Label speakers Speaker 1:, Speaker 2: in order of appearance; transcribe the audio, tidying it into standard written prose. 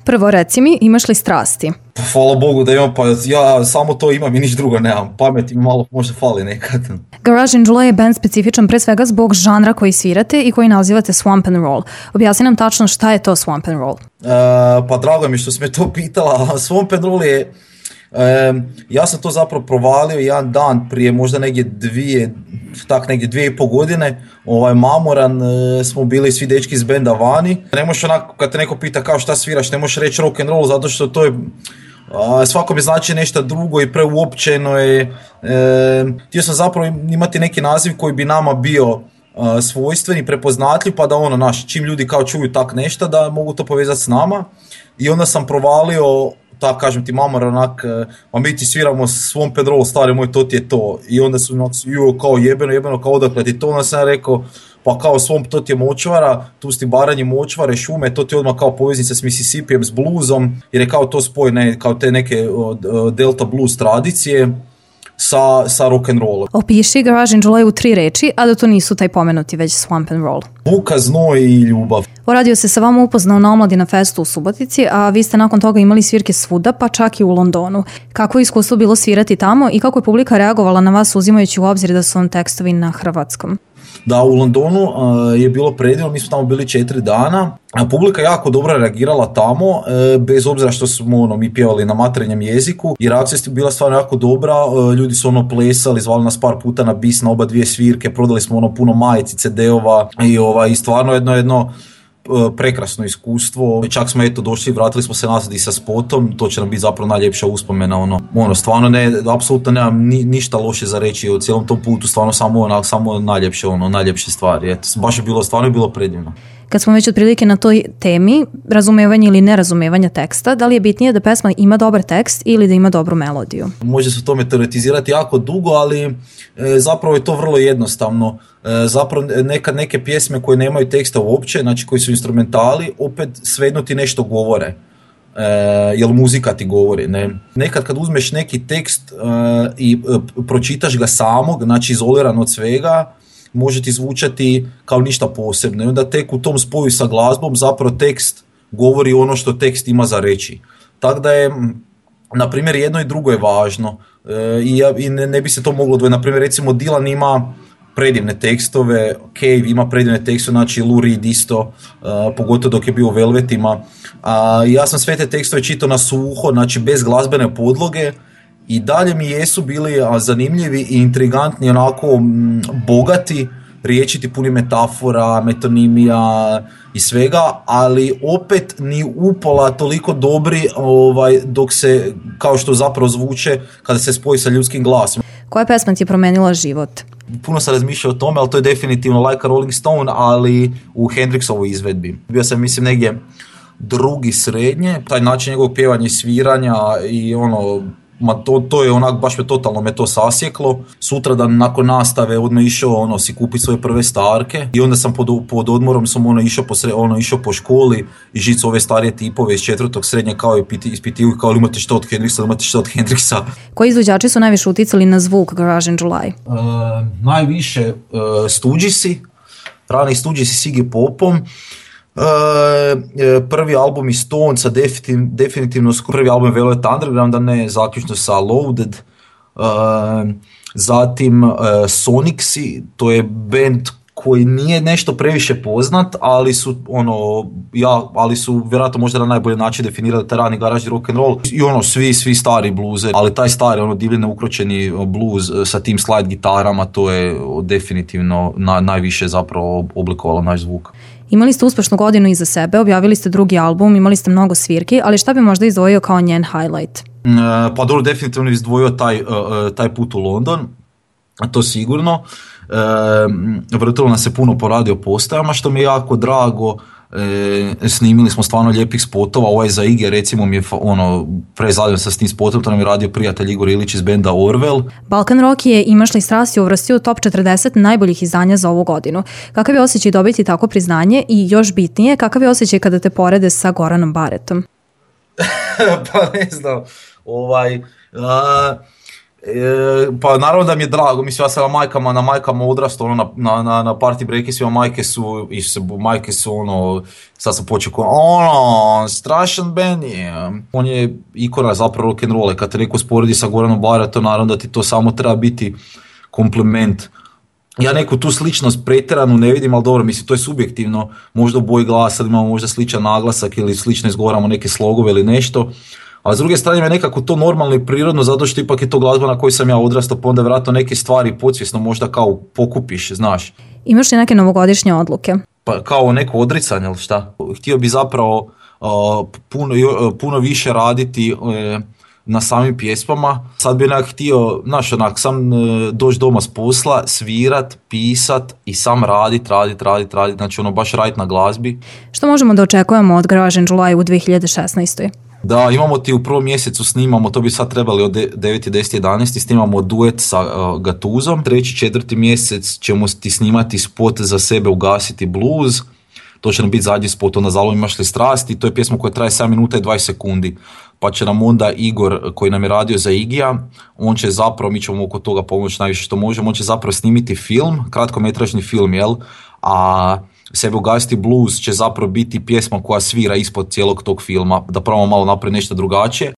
Speaker 1: Prvo reci mi, imaš li strasti?
Speaker 2: Hvala Bogu da imam, pa ja samo to imam i niš drugo nemam. Pamet mi malo možda fali nekad.
Speaker 1: Garage & Joy je band specifičan pre svega zbog žanra koji svirate i koji nazivate swamp and roll. Objasni nam tačno šta je to swamp and roll.
Speaker 2: Pa drago mi što si me to pitala. Swamp and roll je... ja sam to zapravo provalio jedan dan prije možda negdje 2,5 godine, mamoran, smo bili svi dečki iz benda vani. Ne možeš onako, kad te neko pita kao šta sviraš, ne možeš reći rock and roll zato što to je svakome znači nešto drugo i preuopćeno je. Htio sam zapravo imati neki naziv koji bi nama bio svojstven i prepoznatljiv, pa da čim ljudi kao čuju tak nešto da mogu to povezati s nama. I onda sam provalio, tako kažem ti, mamar onak, ma mi ti sviramo Swamp and Roll, stari moj, to ti je to. I onda su kao jebeno, kao odakle ti to, onda sam rekao, pa kao Swamp, to ti je močvara, tu sti Baranji, močvare, šume, to ti je odmah kao poveznica s Mississippijem, s bluesom, jer je kao to spoj, kao te neke delta blues tradicije sa rock and rollom.
Speaker 1: Opiši Garage & Joy u 3 reči, a da to nisu taj pomenuti već swamp and roll.
Speaker 2: Buka, znoj i ljubav.
Speaker 1: Radio se sa vama upoznao na Omladina festu u Subotici, a vi ste nakon toga imali svirke svuda, pa čak i u Londonu. Kako je iskustvo bilo svirati tamo i kako je publika reagovala na vas uzimajući u obzir da su vam tekstovi na hrvatskom?
Speaker 2: Da, u Londonu je bilo predivno, mi smo tamo bili 4 dana. Publika jako dobro reagirala tamo, bez obzira što smo mi pjevali na materinjem jeziku i reakcija je bila stvarno jako dobra. Ljudi su plesali, zvali nas par puta na bis na oba dvije svirke, prodali smo puno majici, CD-ova i stvarno jedno prekrasno iskustvo. Čak smo došli, vratili smo se nazad i sa spotom, to će nam biti zapravo najljepša uspomena. Stvarno apsolutno nemam ništa loše za reći o cijelom tom putu, stvarno samo najljepše stvari. Baš je bilo predivno.
Speaker 1: Kad smo već otprilike na toj temi, razumevanje ili nerazumevanja teksta, da li je bitnije da pesma ima dobar tekst ili da ima dobru melodiju?
Speaker 2: Može se o tome teoretizirati jako dugo, ali zapravo je to vrlo jednostavno. Zapravo nekad neke pjesme koje nemaju teksta uopće, znači koji su instrumentali, opet svejedno ti nešto govore. Jel muzika ti govori, ne? Nekad kad uzmeš neki tekst i pročitaš ga samog, znači izoliran od svega, može ti zvučati kao ništa posebno. I onda tek u tom spoju sa glazbom zapravo tekst govori ono što tekst ima za reći. Tako da je, na primjer, jedno i drugo je važno. I ne bi se to moglo odvojiti. Na primjer, recimo Dylan ima predivne tekstove, Cave ima predivne tekstove, znači Lou Reed isto, pogotovo dok je bio u Velvetima. Ja sam sve te tekstove čitao na suho, znači bez glazbene podloge, i dalje mi jesu bili zanimljivi i intrigantni, onako bogati, riječiti, puni metafora, metonimija i svega, ali opet ni upola toliko dobri dok se, kao što zapravo zvuče kada se spoji sa ljudskim glasom.
Speaker 1: Koja pesma ti je promenila život?
Speaker 2: Puno sam razmišljao o tome, ali to je definitivno Like a Rolling Stone, ali u Hendrixovoj izvedbi. Bio sam, mislim, negdje drugi srednje, taj način njegovog pjevanja i sviranja i to je onak, baš me to sasjeklo. Sutradan nakon nastave odmah išao si kupiti svoje prve starke i onda sam pod odmorom sam išao po školi i žicu ove starije tipove iz 4. srednje kao ispitivu kao imate što od Hendrixa.
Speaker 1: Koji izvođači su najviše uticali na zvuk Garage & Joy?
Speaker 2: Najviše Stoogesy, rani Stoogesy s Iggy Popom. Prvi album iz Stonesa, definitivno prvi album Velvet Underground, a ne zaključno sa Loaded. Zatim Sonicsy, to je band koji nije nešto previše poznat, ali su vjerojatno možda na najbolji način definirali taj rani garažni rock and roll i svi stari bluze, ali taj stari divljeno ukročeni blues sa tim slide gitarama, to je definitivno najviše zapravo oblikovalo naš zvuk.
Speaker 1: Imali ste uspešnu godinu iza sebe, objavili ste drugi album, imali ste mnogo svirki, ali šta bi možda izdvojio kao njen highlight?
Speaker 2: Pa dobro, definitivno bi izdvojio taj put u London, to sigurno. Vrtilo nas se puno po radio postajama, što mi je jako drago. Snimili smo stvarno lijepih spotova, za Igge recimo mi je prezadio sa s tim spotom, to nam je radio prijatelj Igor Ilić iz benda Orwell.
Speaker 1: Balkan Rock je Imaš li strasti uvrstio u top 40 najboljih izdanja za ovu godinu. Kakav je osjećaj dobiti tako priznanje i još bitnije, kakav je osjećaj kada te porede sa Goranom Baretom?
Speaker 2: Pa ne znam, Pa naravno da mi je drago, mislim ja sam na majkama odrastao, ono, na party breakisima majke su ono, sad sam počeo ono, strašan Benny, on je ikona zapravo rock'n'rolla, kad te neko sporedi sa Goranom Baratom, naravno da ti to samo treba biti kompliment. Ja neku tu sličnost pretjeranu ne vidim, ali dobro, mislim to je subjektivno, možda u boji glasa imamo možda sličan naglasak ili slično izgovaramo neke slogove ili nešto. A s druge strane je nekako to normalno i prirodno, zato što ipak je to glazba na kojoj sam ja odrastao, pa onda vjerojatno neke stvari podsvjesno možda kao pokupiš, znaš.
Speaker 1: Imaš li neke novogodišnje odluke?
Speaker 2: Pa kao neko odricanje ili šta? Htio bi zapravo puno više raditi na samim pjesmama. Sad bi onak htio, znaš, onak sam doći doma s posla, svirat, pisat i sam radit, znači ono baš radit na glazbi.
Speaker 1: Što možemo da očekujemo od Garage & July u 2016.
Speaker 2: Da, imamo ti u prvom mjesecu snimamo, to bi sad trebali od 9. 10. 11. snimamo duet sa Gatuzom. 3. 4. mjesec ćemo ti snimati spot za sebe Ugasiti blues. To će nam biti zadnji spot, onda Zalom imaš li strasti, to je pjesma koja traje 7 minuta i 20 sekundi. Pa će nam onda Igor, koji nam je radio za Igija, on će zapravo, mi ćemo oko toga pomoći najviše što možemo, on će zapravo snimiti film, kratkometražni film, jel? A Sebe Ugasiti blues će zapravo biti pjesma koja svira ispod cijelog tog filma, da probamo malo napraviti nešto drugačije.